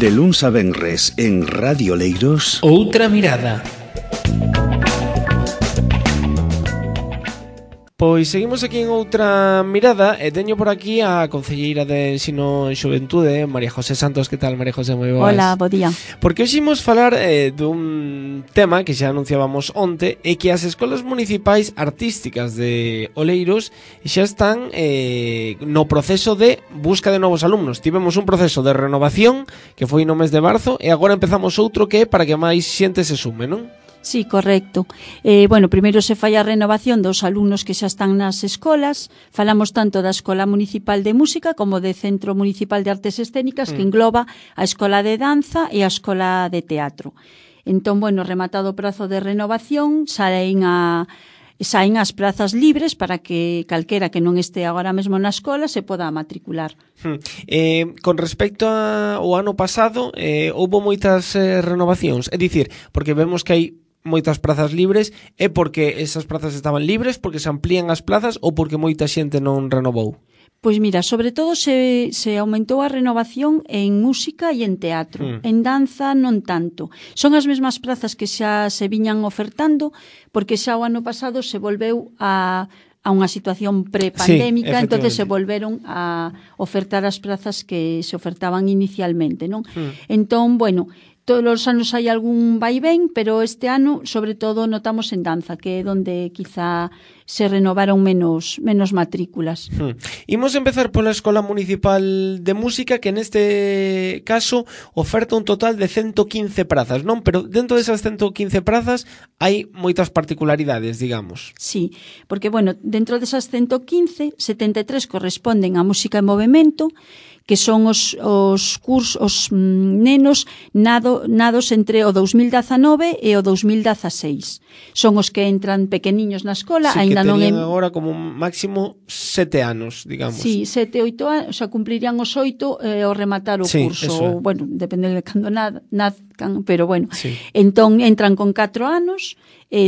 De luns a venres en Radio Oleiros. Outra mirada. Pois seguimos aquí en Outra Mirada e teño por aquí a concelleira de Ensino e Xuventude, María José Santos. Que tal, María José? Moi boas. Hola, bo día. Porque hoxe imos falar dun tema que xa anunciábamos onte, e que as escolas municipais artísticas de Oleiros xa están no proceso de busca de novos alumnos. Tivemos un proceso de renovación que foi no mes de marzo e agora empezamos outro que é para que máis xente se sume, non? Sí, correcto. Primeiro se fai a renovación dos alumnos que xa están nas escolas. Falamos tanto da Escola Municipal de Música como do Centro Municipal de Artes Escénicas, que engloba a Escola de Danza e a Escola de Teatro. Entón, rematado o prazo de renovación, saen as prazas libres para que calquera que non este agora mesmo na escola se poda matricular. Con respecto ao ano pasado, houbo moitas renovacións, é dicir, porque vemos que hai moitas prazas libres, é porque esas prazas estaban libres, porque se amplían as plazas ou porque moita xente non renovou? Pois mira, sobre todo se aumentou a renovación en música e en teatro. En danza non tanto. Son as mesmas prazas que xa se viñan ofertando, porque xa o ano pasado se volveu a unha situación pre-pandémica, entonces se volveron a ofertar as prazas que se ofertaban inicialmente, non? Entón, todos os anos hai algún vaivén, pero este ano, sobre todo, notamos en danza, que é onde quizá se renovaron menos matrículas. Imos empezar pola Escola Municipal de Música, que neste caso oferta un total de 115 prazas, non? Pero dentro desas 115 prazas hai moitas particularidades, digamos. Sí, porque, dentro desas 115, 73 corresponden a música e movemento, que son os nenos nados entre o 2019 e o 2016. Son os que entran pequeniños na escola, sí, que tenían agora como máximo 7 anos, digamos. Sí, 7, 8 anos, xa cumplirían os 8 ao rematar o curso. Depende de cando nazcan, pero sí. Entón entran con 4 anos,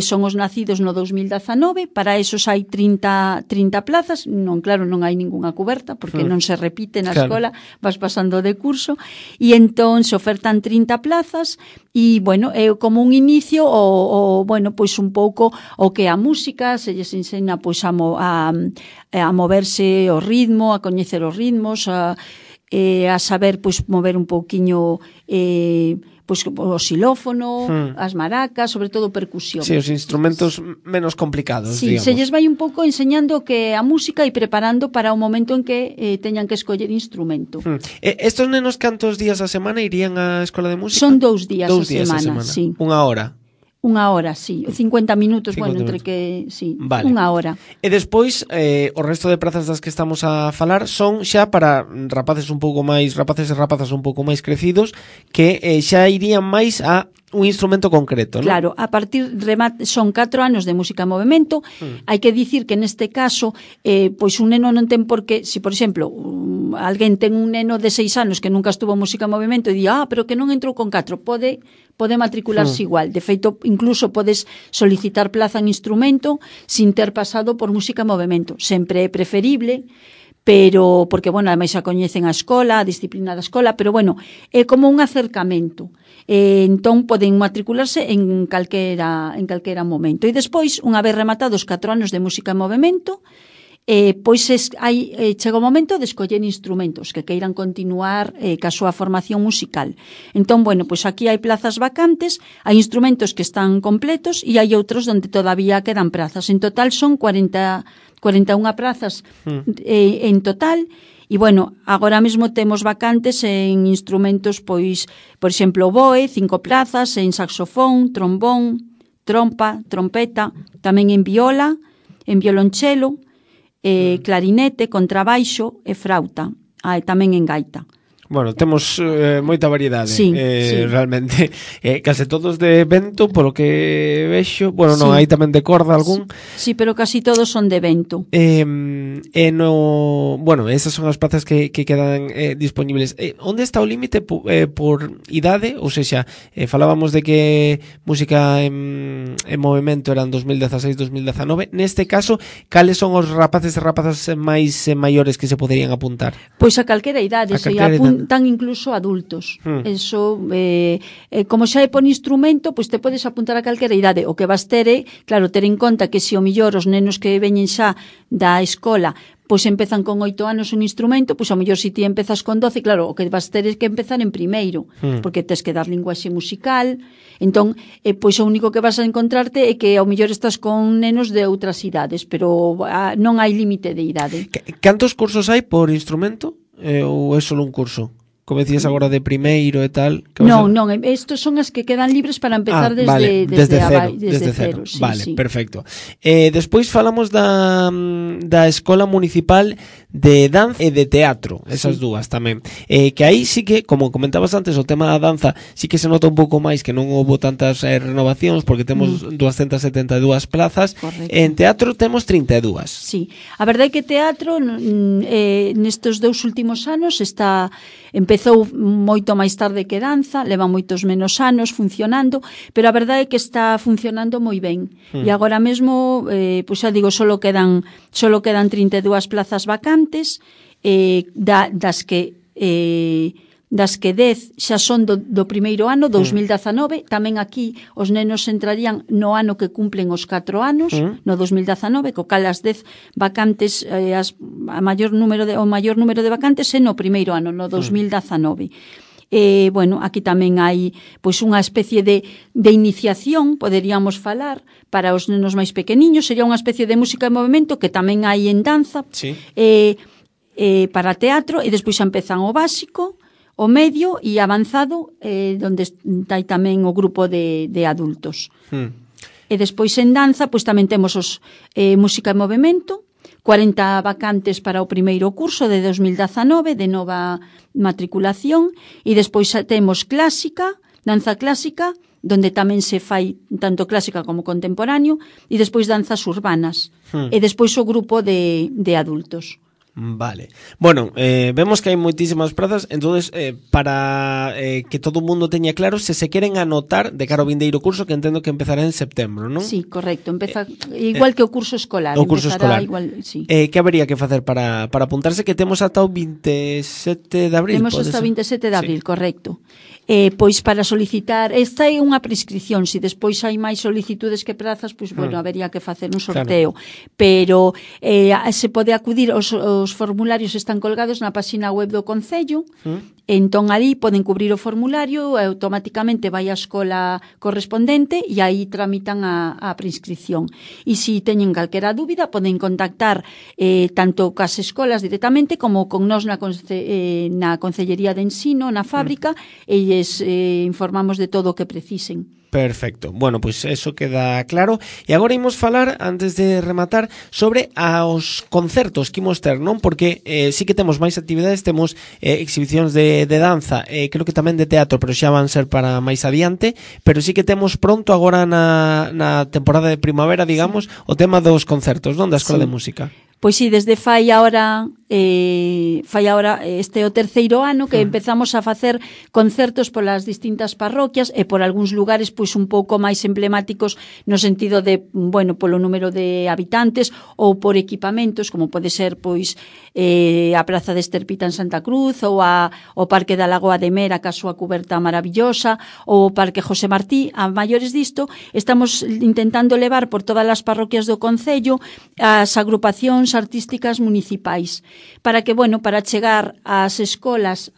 son os nacidos no 2019, para esos hai 30 plazas, non hai ningunha cuberta, porque non se repite na escola, vas pasando de curso, e entón se ofertan 30 plazas, e, é como un inicio, un pouco o que a música, se lles ensena, a moverse o ritmo, a coñecer os ritmos, a saber, mover un pouquiño o xilófono, as maracas, sobre todo percusión. Sí, os instrumentos menos complicados, digamos. Se lles vai un pouco enseñando que a música e preparando para o momento en que teñan que escoller instrumento. Estos nenos cantos días a semana irían á escola de música? Son 2 días a semana, sí. Unha hora? Unha hora, sí. 50 minutos, entre que... Sí, vale. Unha hora. E despois, o resto de prazas das que estamos a falar son xa para rapaces e rapazas un pouco máis crecidos, que xa irían máis a un instrumento concreto, non? Claro, a partir son 4 anos de música e movemento. Hai que dicir que neste caso un neno non ten por que, se por exemplo alguén ten un neno de 6 anos que nunca estuvo en música e movemento e di, pero que non entrou con 4, pode matricularse igual. De feito, incluso podes solicitar plaza en instrumento sin ter pasado por música e movemento. Sempre é preferible, pero porque, ademais xa coñecen a escola, a disciplina da escola, pero é como un acercamento. Entón poden matricularse en calquera momento. E despois, unha vez rematados 4 anos de música e movemento, chega o momento de escoller instrumentos que queiran continuar ca súa formación musical. Entón, aquí hai plazas vacantes, hai instrumentos que están completos e hai outros onde todavía quedan plazas. En total son 41 plazas en total. E, agora mesmo temos vacantes en instrumentos, por exemplo, oboe, 5 plazas, en saxofón, trombón, trompa, trompeta, tamén en viola, en violonchelo, clarinete, contrabaixo e frauta, e tamén en gaita. Temos moita variedade, sí. Realmente. Case todos de vento, polo que vexo. Non hai tamén de corda algún. Sí, pero casi todos son de vento. Esas son as plazas que quedan disponibles. Onde está o límite por idade? Ou seja, falábamos de que música en movimento eran 2016-2019. Neste caso, cales son os rapaces e rapazas máis maiores que se poderían apuntar? Pois a calquera idade. tan incluso adultos. Eso, como xa é por instrumento, pois te podes apuntar a calquera idade. O que vas ter é, claro, ter en conta que se o millor os nenos que veñen xa da escola pois empezan con 8 anos un instrumento, pois ao mellor se ti empezas con 12, claro, o que vas ter é que empezar en primeiro, porque tes que dar linguaxe musical. Entón, pois o único que vas a encontrarte é que ao mellor estás con nenos de outras idades, pero non hai límite de idade. Cantos cursos hai por instrumento? Ou é só un curso? Como decías agora de primeiro e tal. Non, estos son as que quedan libres para empezar desde cero. Sí, vale, sí. Perfecto. Despois falamos da Escola Municipal de Danza e de Teatro, esas dúas tamén. Que aí sí que, como comentabas antes, o tema da danza sí que se nota un pouco máis que non houve tantas renovacións porque temos 272 plazas. Correcto. En teatro temos 32. Sí, a verdade é que teatro nestes 2 últimos anos empezou moito máis tarde que danza, leva moitos menos anos funcionando, pero a verdade é que está funcionando moi ben. E agora mesmo, pois xa digo, solo quedan 32 plazas vacantes, das que 10 xa son do primeiro ano, 2019. Tamén aquí os nenos entrarían no ano que cumplen os 4 anos, no 2019, co cal as 10 vacantes, o maior número de vacantes é no primeiro ano, no 2019. Bueno, aquí tamén hai pois unha especie de iniciación, poderíamos falar, para os nenos máis pequeniños. Sería unha especie de música e movimento que tamén hai en danza, para teatro, e despois xa empezan o básico, o medio e avanzado, onde está tamén o grupo de adultos. E despois en danza, pois tamén temos os música e movimento, 40 vacantes para o primeiro curso de 2019, de nova matriculación, e despois temos clásica, danza clásica, donde tamén se fai tanto clásica como contemporáneo, e despois danzas urbanas, e despois o grupo de adultos. Vale. Bueno, vemos que hai moitísimas prazas, entonces para que todo o mundo teña claro, se queren anotar de cara ao vindeiro curso, que entendo que empezará en setembro, non? Sí, correcto, empeza igual que o curso escolar. O curso escolar. Igual, sí. Que habería que facer para apuntarse, que temos ata o 27 de abril? Temos hasta o 27 de abril, correcto. Pois para solicitar, esta é unha prescripción, se despois hai máis solicitudes que prazas, pois bueno, habería que facer un sorteo, pero se pode acudir, os formularios están colgados na página web do Concello, entón ali poden cubrir o formulario e automáticamente vai á escola correspondente e aí tramitan a prescripción. E se teñen calquera dúbida poden contactar tanto cas escolas directamente como con nós na Concellería de Ensino, na fábrica, e informamos de todo o que precisen. Perfecto. Bueno, pois eso queda claro. E agora imos falar, antes de rematar, sobre os concertos que imos ter, non? Porque sí que temos máis actividades, temos exhibicións de danza, creo que tamén de teatro, pero xa van ser para máis adiante, pero sí que temos pronto agora na temporada de primavera, digamos, o tema dos concertos, non? Da Escola de Música. Pois sí, desde fai ahora este o terceiro ano que empezamos a facer concertos polas distintas parroquias e por algúns lugares pois un pouco máis emblemáticos no sentido de, bueno, polo número de habitantes ou por equipamentos, como pode ser pois a Praza de Esterpita en Santa Cruz ou o Parque da Lagoa de Mera, ca súa cuberta maravillosa, ou o Parque José Martí. A maiores disto, estamos intentando levar por todas as parroquias do Concello as agrupacións artísticas municipais, para que, bueno, para chegar ás escolas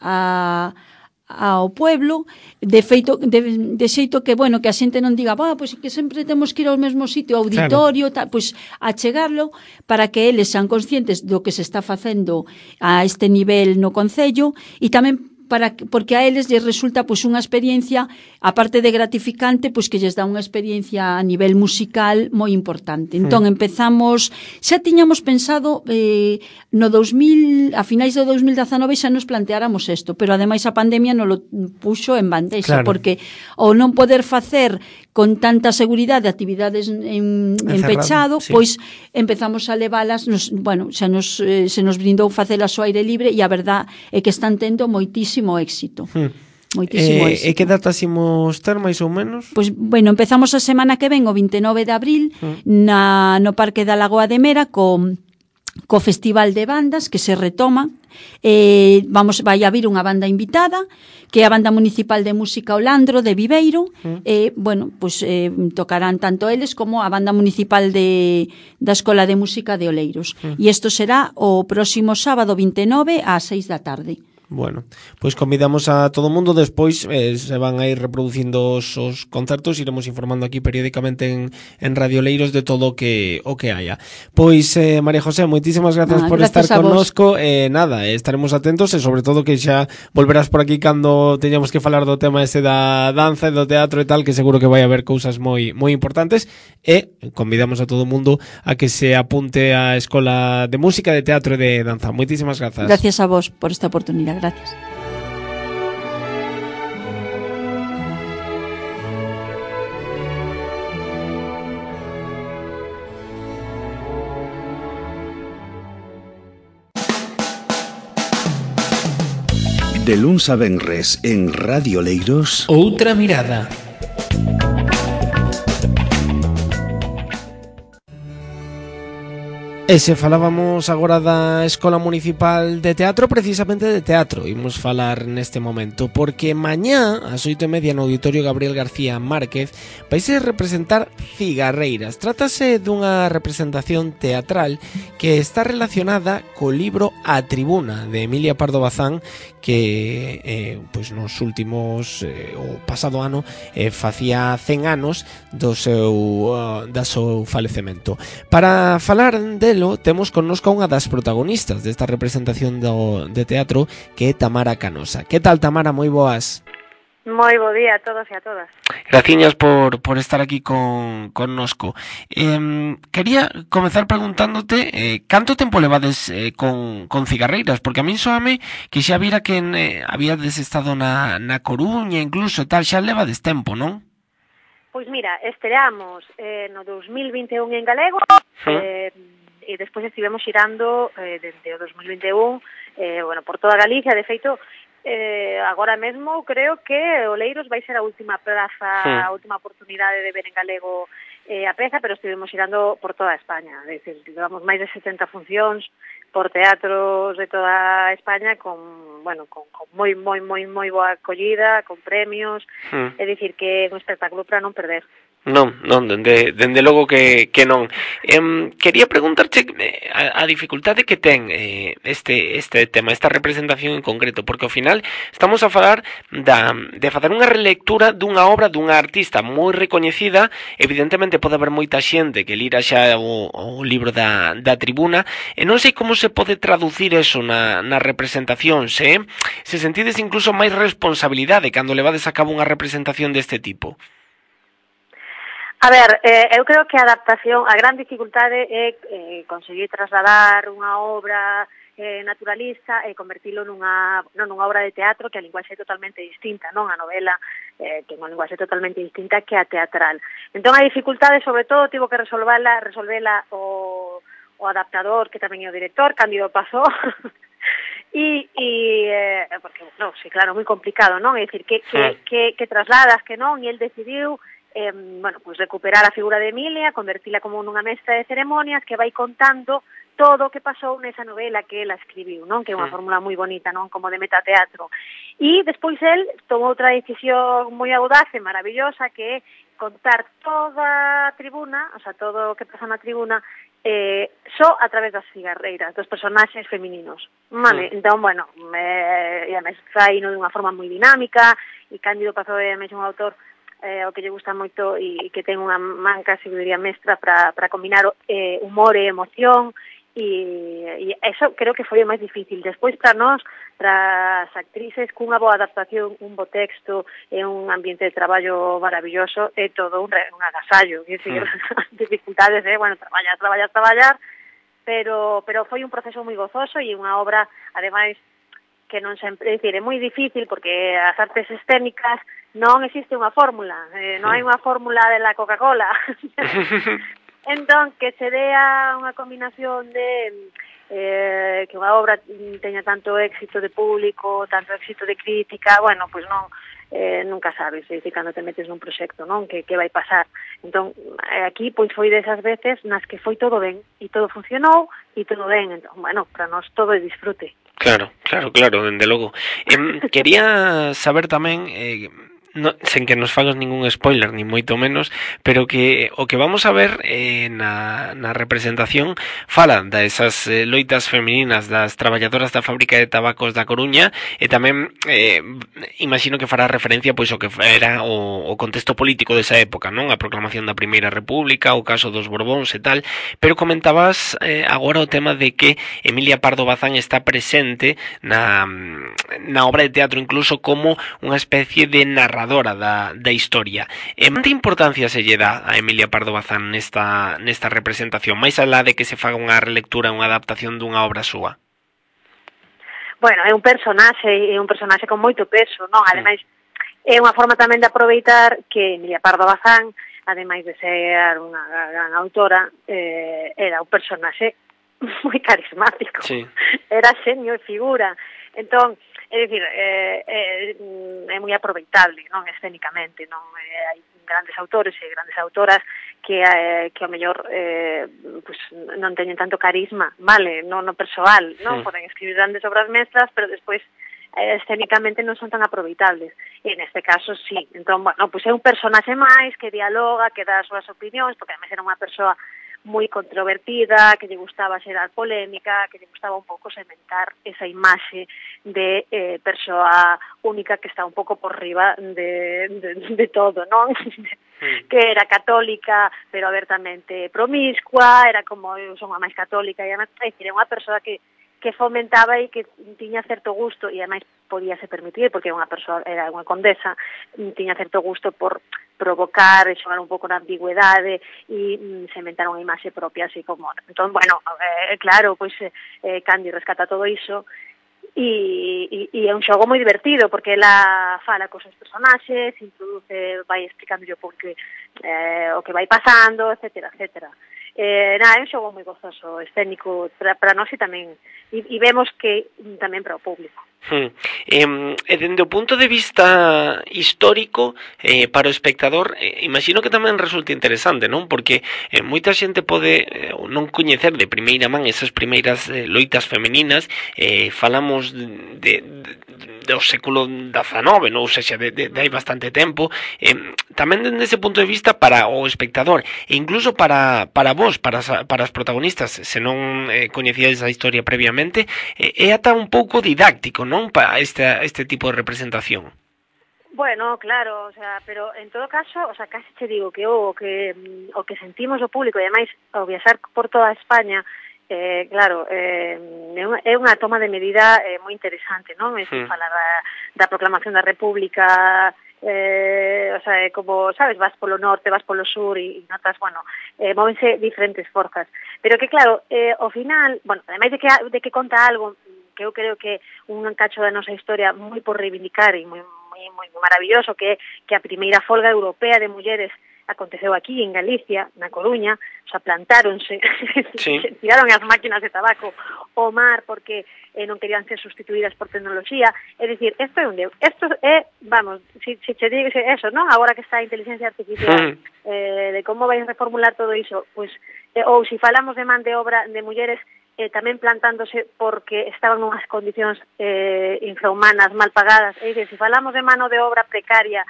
ao pueblo, de xeito que, bueno, que a xente non diga, pois que sempre temos que ir ao mesmo sitio, auditorio, claro. Pois a chegarlo para que eles sean conscientes do que se está facendo a este nivel no Concello, e tamén porque a eles lles resulta pois unha experiencia, aparte de gratificante, pois que lles dá unha experiencia a nivel musical moi importante. Entón empezamos, xa tiñamos pensado no 2000, a finais do 2019 xa nos planteáramos isto, pero ademais a pandemia nos lo puxo en bandexa, claro. Porque ao non poder facer con tanta seguridade actividades en pechado, sí. Pois empezamos a leválas, bueno, se nos brindou facelas ao aire libre, e a verdad é que están tendo moitísimo éxito. Moitísimo éxito. E que datas imos ter, máis ou menos? Pois, bueno, empezamos a semana que ven, o 29 de abril, no Parque da Lagoa de Mera, con co Festival de Bandas que se retoma. Vai haber unha banda invitada que é a Banda Municipal de Música O Landro de Viveiro. Bueno, pues tocarán tanto eles como a Banda Municipal da Escola de Música de Oleiros. E isto será o próximo sábado 29 ás 6 da tarde. Bueno, pois convidamos a todo o mundo. Despois se van a ir reproducindo os concertos, iremos informando aquí periódicamente en Radio Oleiros de todo o que haya. Pois María José, moitísimas grazas por estar connosco. Nada, estaremos atentos e sobre todo que xa volverás por aquí cando teñamos que falar do tema ese da danza e do teatro e tal, que seguro que vai haber cousas moi importantes, e convidamos a todo o mundo a que se apunte á Escola de Música, de Teatro e de Danza. Moitísimas grazas. Gracias a vos por esta oportunidade. Gracias. De luns a venres en Radio Oleiros, Outra mirada. E se falábamos agora da Escola Municipal de Teatro, precisamente de teatro imos falar neste momento, porque mañá ás 8:30 no Auditorio Gabriel García Márquez vaise representar Cigarreiras. Trátase dunha representación teatral que está relacionada co libro A Tribuna de Emilia Pardo Bazán, que pois nos últimos o pasado ano facía 100 anos do seu falecemento. Para falar temos connosco unha das protagonistas desta representación de teatro, que é Tamara Canosa. Que tal, Tamara? Moi boas. Moi bo día a todos e a todas. Graciñas por estar aquí connosco. Quería comezar preguntándote canto tempo levades con Cigarreiras, porque a min soame que xa vira que habíades estado na Coruña incluso e tal, xa levades tempo, non? Pois mira, estreamos no 2021 en galego, e despois estivemos xirando desde o 2021 por toda Galicia. De feito, agora mesmo creo que Oleiros vai ser a última praza, a última oportunidade de ver en galego a peza, pero estivemos xirando por toda España. É dicir, levamos máis de 70 funcións por teatros de toda España con moi boa acollida, con premios. É dicir, que é un espectáculo para non perder. Non, dende logo que non. Quería preguntarche a dificultade que ten este tema, esta representación en concreto, porque ao final estamos a falar de facer unha relectura dunha obra dunha artista moi recoñecida. Evidentemente pode haber moita xente que lira xa o libro da Tribuna, e non sei como se pode traducir eso na representación, se sentides incluso máis responsabilidade cando levades a cabo unha representación deste tipo. A ver, eu creo que a adaptación, a gran dificultade é conseguir trasladar unha obra naturalista e convertilo nunha obra de teatro, que a linguaxe é totalmente distinta, non? A novela que é unha linguaxe totalmente distinta que a teatral. Entón a dificultade, sobre todo, tivo que resolvela o adaptador, que tamén é o director, Cándido Pazó. Porque, non, sí, claro, moi complicado, non? É dicir, que trasladas, que non, e el decidiu pues recuperar a figura de Emilia, convertila como nunha mestra de ceremonias que vai contando todo o que pasou nesa novela que ela escribiu, non? Que é unha fórmula moi bonita, non? Como de metateatro. E despois el tomou outra decisión moi audaz e maravillosa, que é contar toda a tribuna, o sea, todo o que pasa na tribuna, só a través das cigarreiras, dos personaxes femininos. Vale? Entón, bueno, e a mestra ino dunha forma moi dinámica, e Cándido Pazó é un autor o que lle gusta moito e que ten unha manca, se diría, mestra para combinar humor e emoción, e eso creo que foi o máis difícil. Despois para nós, para as actrices, cunha boa adaptación, un bo texto e un ambiente de traballo maravilloso, é todo un agasallo. É dicir, dificultades, traballar, pero foi un proceso moi gozoso e unha obra, ademais, que non sempre, é dicir, é moi difícil porque as artes escénicas non existe unha fórmula, non hai unha fórmula de la Coca-Cola. Entón, que se dea unha combinación de que unha obra teña tanto éxito de público, tanto éxito de crítica, bueno, pois non, nunca sabes, é dicir, cando te metes nun proxecto, non, que vai pasar. Entón, aquí, pois, foi desas veces nas que foi todo ben, e todo funcionou, e todo ben, entón, bueno, para nós todo é disfrute. Claro, dende logo. Quería saber tamén, no, sen que nos fagas ningún spoiler, ni moito menos, pero que o que vamos a ver na representación fala desas loitas femininas das traballadoras da fábrica de tabacos da Coruña, e tamén imagino que fará referencia pois o que era o contexto político desa época, non? A proclamación da Primeira República, o caso dos Borbóns e tal, pero comentabas agora o tema de que Emilia Pardo Bazán está presente na obra de teatro incluso como unha especie de narradora da historia. Que importancia se lle dá a Emilia Pardo Bazán nesta representación, máis alá de que se faga unha relectura, unha adaptación dunha obra súa? Bueno, é un personaxe con moito peso, non? Ademais, é unha forma tamén de aproveitar que Emilia Pardo Bazán, ademais de ser unha gran autora, era un personaxe moi carismático. Sí. Era xenio e figura. Entón, é dicir, é moi aproveitable, non, escénicamente, non, hai grandes autores e grandes autoras que ao mellor pues, non teñen tanto carisma, vale, non no persoal, non, poden escribir grandes obras mestras, pero despois escénicamente non son tan aproveitables, e neste caso sí. Entón, bueno, pues é un personaxe máis que dialoga, que dá as súas opinións, porque además era unha persoa moi controvertida, que lle gustaba xerar polémica, que lle gustaba un pouco sementar esa imaxe de persoa única que está un pouco por riba de todo, non? Que era católica, pero abertamente promiscua, era como eu son a máis católica, e además, era unha persoa que fomentaba e que tiña certo gusto, e ademais podíase permitir, porque era unha condesa, tiña certo gusto por provocar e xogar un pouco na ambigüedade e sementar unha imaxe propia, así como... Entón, bueno, claro, pois Candi rescata todo iso, e é un xogo moi divertido, porque ela fala cos seus personaxes, introduce, vai explicando o público o que vai pasando, etcétera, etcétera. É un xogo moi gozoso, escénico para nós e tamén, e vemos que tamén para o público. E dende o punto de vista histórico, para o espectador, imagino que tamén resulta interesante, non? Porque moita xente pode non coñecer de primeira man esas primeiras loitas femininas, falamos do século XIX, non? Ou seja, de hai bastante tempo, tamén dende ese punto de vista para o espectador, e incluso para vos, para as protagonistas, se non coñecíades a historia previamente, é ata un pouco didáctico, non, para este tipo de representación. Bueno, claro, o sea, pero en todo caso, o sea, casi te digo que o que sentimos o público, e ademais ao viaxar por toda España, claro, é unha toma de medida moi interesante, non? Falar da proclamación da República, o sea, como, sabes, vas polo norte, vas polo sur e notas, bueno, móvense diferentes forzas, pero que claro, ao final, bueno, ademais de que conta algo que eu creo que un cacho da nosa historia moi por reivindicar e moi maravilloso, que a primeira folga europea de mulleres aconteceu aquí en Galicia, na Coruña, o sea, plantáronse, sí. Tiraron as máquinas de tabaco ao mar porque non querían ser sustituídas por tecnoloxía. É dicir, isto é, vamos, se che digo eso, non? Agora que está a inteligencia artificial, de como vais reformular todo iso, pues, ou se falamos de man de obra de mulleres tamén plantándose porque estaban nunhas condicións infrahumanas, mal pagadas, é dicir, se falamos de mano de obra precaria,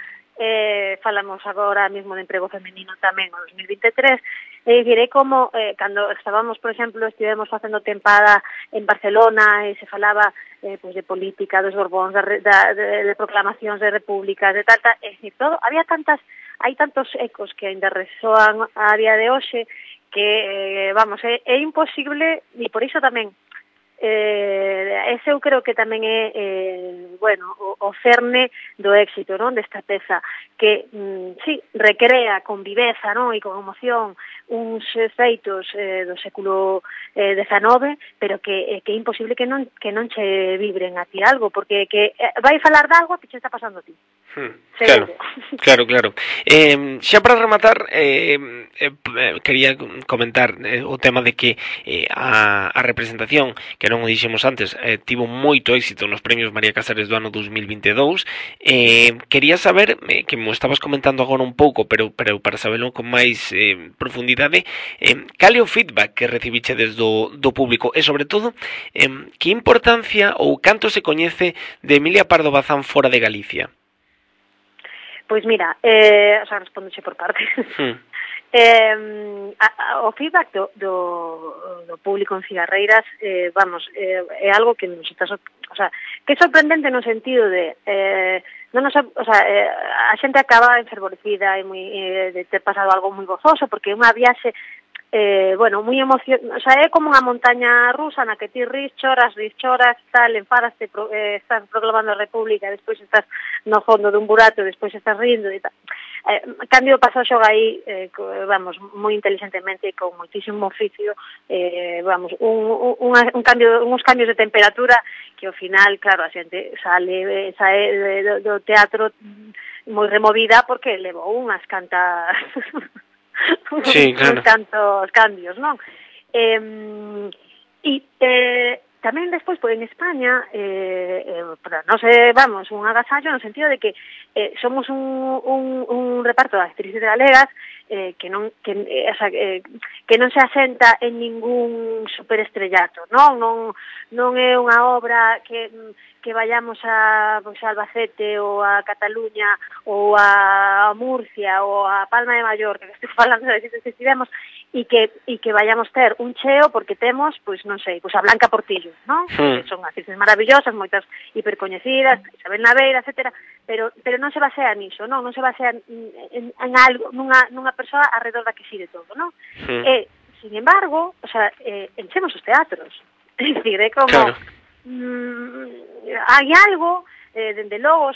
falamos agora mesmo de emprego femenino tamén no 2023, é dicir, é como cando estábamos, por exemplo, estivemos facendo tempada en Barcelona e se falaba pues, de política dos Borbóns, de proclamacións de repúblicas, de tal, é dicir, todo, hai tantos ecos que ainda resoan a día de hoxe que, vamos, é imposible, e por iso tamén ese eu creo que tamén é bueno, o cerne do éxito, non, desta peza que, sí, recrea con viveza, non, e con emoción uns feitos do século XIX, pero que é imposible que non che vibren a ti algo, porque que vai falar de algo que che está pasando a ti. Claro. Xa para rematar, quería comentar o tema de que a representación que que non o dixemos antes, tivo moito éxito nos premios María Casares do ano 2022. Quería saber, que mo estabas comentando agora un pouco, pero para saberlo con máis profundidade, cal é o feedback que recibichedes do público e, sobre todo, que importancia ou canto se coñece de Emilia Pardo Bazán fora de Galicia? Pois mira, o sea, respóndoche por parte. O feedback do público en Cigarreiras, é algo que nos está, o sea, que é sorprendente no sentido de a xente acaba enfervorecida e de ter pasado algo moi gozoso, porque é unha viaxe moi emocionante, o sea, é como unha montaña rusa na que ti ris, choras, tal, enfadaste, estás proclamando a República, despois estás no fondo dun burato, despois estás rindo e tal. Cambio pasou xoga aí, moi inteligentemente, con moitísimo oficio, uns cambios de temperatura que ao final, claro, a xente sae do teatro moi removida porque levou unhas cantas sí, claro. Tantos cambios, non? Tamén despois, en España, para non sei, un agasallo no sentido de que somos un reparto de actrices galegas que non se asenta en ningún superestrellato, non é unha obra que vayamos a Albacete ou a Cataluña ou a Murcia ou a Palma de Mallorca, que estou falando de sitios que estivemos, e que vayamos ter un cheo porque temos, a Blanca Portillo, non? Que son actrices maravillosas, moitas hipercoñecidas, Isabel Naveira, etcétera, pero non se basea niso, non se basea en algo, nunha persoa alrededor da que xire todo, non? Sin embargo, enchemos os teatros. É dicir, é como... Claro. Hai algo, dende logo,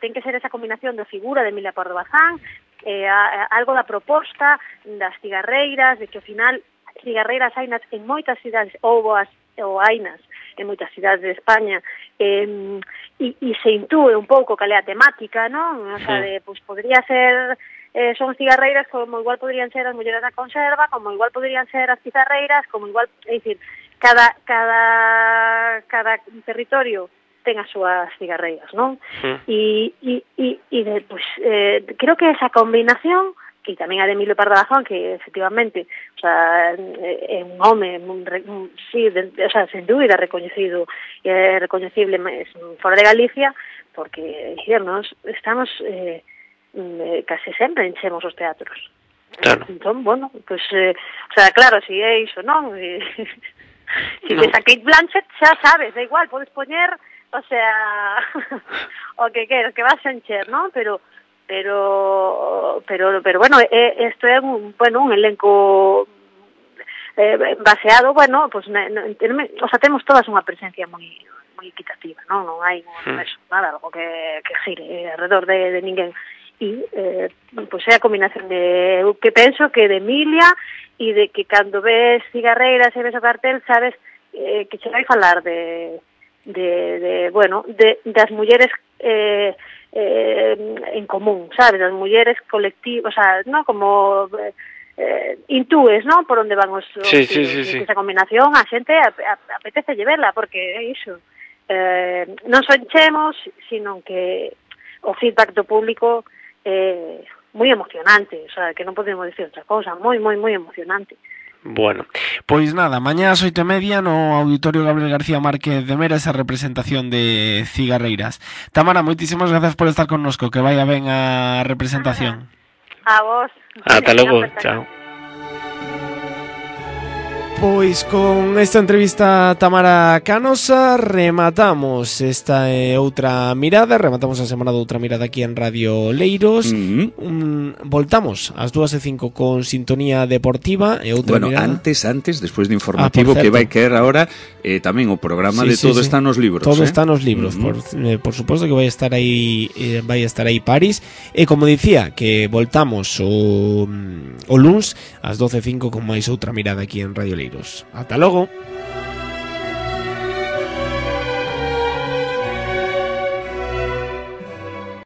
ten que ser esa combinación da figura de Emilia Pardo Bazán, algo da proposta das cigarreiras, de que ao final cigarreiras hainas en moitas cidades, ou hainas en moitas cidades de España, e se intúe un pouco cal é a temática, non? O sea, podría ser... son cigarreiras como igual podrían ser as mulleres da conserva, como igual podrían ser as cigarreiras, como igual, é dicir, cada territorio ten as súas cigarreiras, non? Creo que esa combinación, que tamén a de Emilio Pardo Bazán, que efectivamente, é un home, sen dúbida recoñecido e recoñecible fora de Galicia, porque, dicirnos, estamos case sempre enchemos os teatros. Claro. Entón, claro, si é iso, non? Si ves a Kate Blanchett, xa sabes, da igual, podes poñer, o que queres, que vas a encher, non? Pero isto é un elenco baseado, temos todas unha presencia moi equitativa, non hai nada, algo que gire alrededor de ninguén. E é a combinación de que penso que de Emilia e de que cando ves cigarreiras e ves o cartel sabes que se vai falar das mulleres en común, sabes, das mulleres colectivas, non como intúes, non, por onde van os esa combinación, a xente apetece verla porque é iso, non só enchemos, sino que o feedback do público moi emocionante, que non podemos dicir outra cosa, moi emocionante. Bueno, pois nada, mañá ás 8:30 no Auditorio Gabriel García Márquez de Mera esa representación de cigarreiras. Tamara, moitísimas gracias por estar connosco, que vaya ben a representación. A vos. Ata logo, chao. Pois con esta entrevista a Tamara Canosa rematamos esta outra mirada, rematamos a semana de outra mirada aquí en Radio Leiros. Voltamos ás 2:05 con sintonía deportiva e outra mirada. Antes, despois do informativo que vai caer agora, tamén o programa de Todo está nos libros. Todo está nos libros, por suposto que vai estar aí París. E como dicía, que voltamos o luns ás 12:05 con máis outra mirada aquí en Radio Leiros. Ata logo.